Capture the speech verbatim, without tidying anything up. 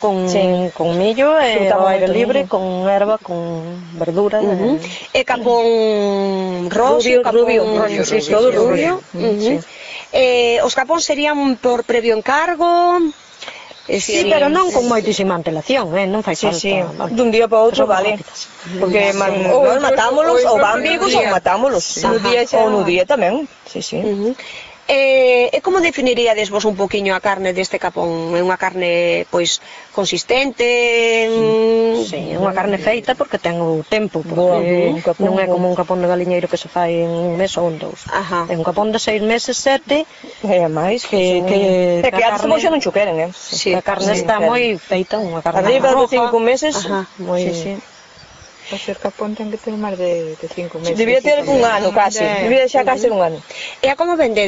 con, sí. con millo e Xuntamos ao aire moito libre, millo. con erva, con verdura. Uh -huh. E... E capón roxo, Rubio, capón... rubio, rubio, sí, sí, todo sí, rubio. rubio. Uh -huh. Sí. Eh, os capóns serían por previo encargo... Eh, sí, pero non con moitísima antelación, eh? Non fai Sí, falta. sí, Vale. dun día para outro, Son vale. rápidas. Porque Sí. man, Ou nós incluso- matámolos, ou ou van incluso vivos no ou día. matámolos. Sí. No día xa- Ou no día tamén, sí, sí. Uh -huh. Eh, e como definiríades vos un poquinho a carne deste capón? É unha carne, pois, consistente? Sí, é unha carne feita porque ten o tempo, porque Boa, un capón non é bo. como un capón de galiñeiro que se fai en un mes ou en dous. Ajá. É un capón de seis meses, sete, É máis que, son- que, É que a antes carne, xa non cho queren, eh? Sí, a carne sí, está claro. moi feita, unha carne Arriba de roja, cinco meses, Ajá. moi... sí, sí. O ser capón ten que ter máis de, de cinco meses. Debía ter un ano casi, De- debía xa casi un ano. E a como vende